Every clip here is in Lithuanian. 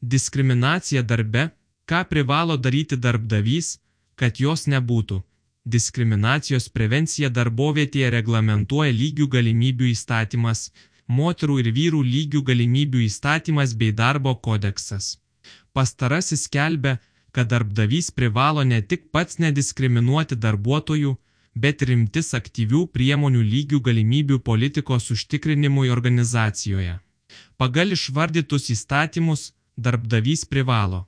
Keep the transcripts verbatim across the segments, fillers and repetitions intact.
Diskriminacija darbe. Ką privalo daryti darbdavys, kad jos nebūtų? Diskriminacijos prevenciją darbovietėje reglamentuoja lygių galimybių įstatymas, moterų ir vyrų lygių galimybių įstatymas bei darbo kodeksas. Pastarasis skelbia, kad darbdavys privalo ne tik pats nediskriminuoti darbuotojų, bet ir imtis aktyvių priemonių lygių galimybių politikos užtikrinimui organizacijoje. Pagal išvardytus įstatymus, darbdavys privalo,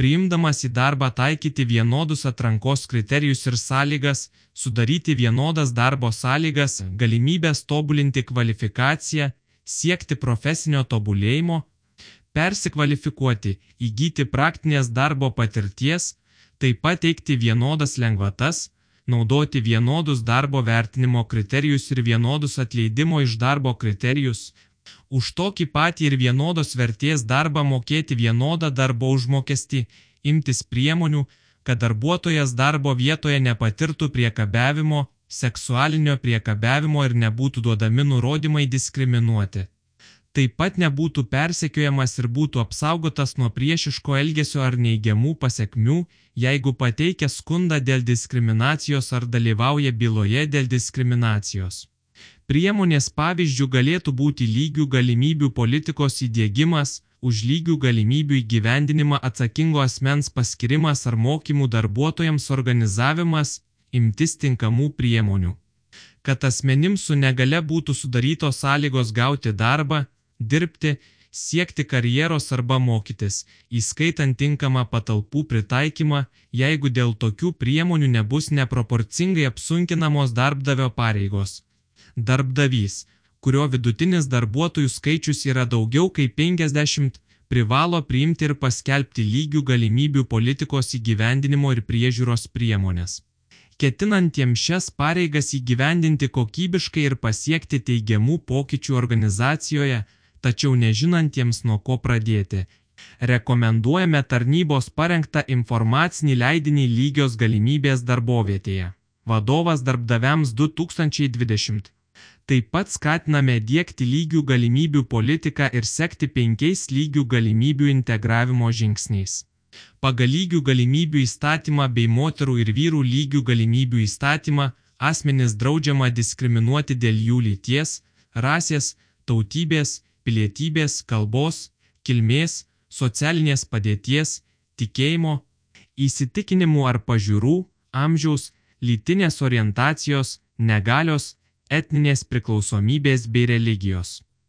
priimdamas į darbą taikyti vienodus atrankos kriterijus ir sąlygas, sudaryti vienodas darbo sąlygas, galimybės tobulinti kvalifikaciją, siekti profesinio tobulėjimo, persikvalifikuoti, įgyti praktinės darbo patirties, taip pat teikti vienodas lengvatas, naudoti vienodus darbo vertinimo kriterijus ir vienodus atleidimo iš darbo kriterijus, už tokį patį ir vienodos vertės darbą mokėti vienodą darbo užmokestį, imtis priemonių, kad darbuotojas darbo vietoje nepatirtų priekabiavimo, seksualinio priekabiavimo ir nebūtų duodami nurodymai diskriminuoti. Taip pat nebūtų persekiojamas ir būtų apsaugotas nuo priešiško elgesio ar neigiamų pasekmių, jeigu pateikia skundą dėl diskriminacijos ar dalyvauja byloje dėl diskriminacijos. Priemonės pavyzdžių galėtų būti lygių galimybių politikos įdiegimas, už lygių galimybių įgyvendinimą atsakingo asmens paskirimas ar mokymų darbuotojams organizavimas, imtis tinkamų priemonių. Kad asmenims su negale būtų sudarytos sąlygos gauti darbą, dirbti, siekti karjeros arba mokytis, įskaitant tinkamą patalpų pritaikymą, jeigu dėl tokių priemonių nebus neproporcingai apsunkinamos darbdavio pareigos. Darbdavys, kurio vidutinis darbuotojų skaičius yra daugiau kaip penkiasdešimt, privalo priimti ir paskelbti lygių galimybių politikos įgyvendinimo ir priežiūros priemonės. Ketinantiems šias pareigas įgyvendinti kokybiškai ir pasiekti teigiamų pokyčių organizacijoje, tačiau nežinantiems nuo ko pradėti, rekomenduojame tarnybos parengtą informacinį leidinį lygios galimybės darbovietėje. Vadovas darbdaviams du tūkstančiai dvidešimt. Taip pat skatiname diegti lygių galimybių politiką ir sekti penkiais lygių galimybių integravimo žingsniais. Pagal lygių galimybių įstatymą bei moterų ir vyrų lygių galimybių įstatymą asmenis draudžiama diskriminuoti dėl jų lyties, rasės, tautybės, pilietybės, kalbos, kilmės, socialinės padėties, tikėjimo, įsitikinimų ar pažiūrų, amžiaus, lytinės orientacijos, negalios, etninės priklausomybės bei religijos.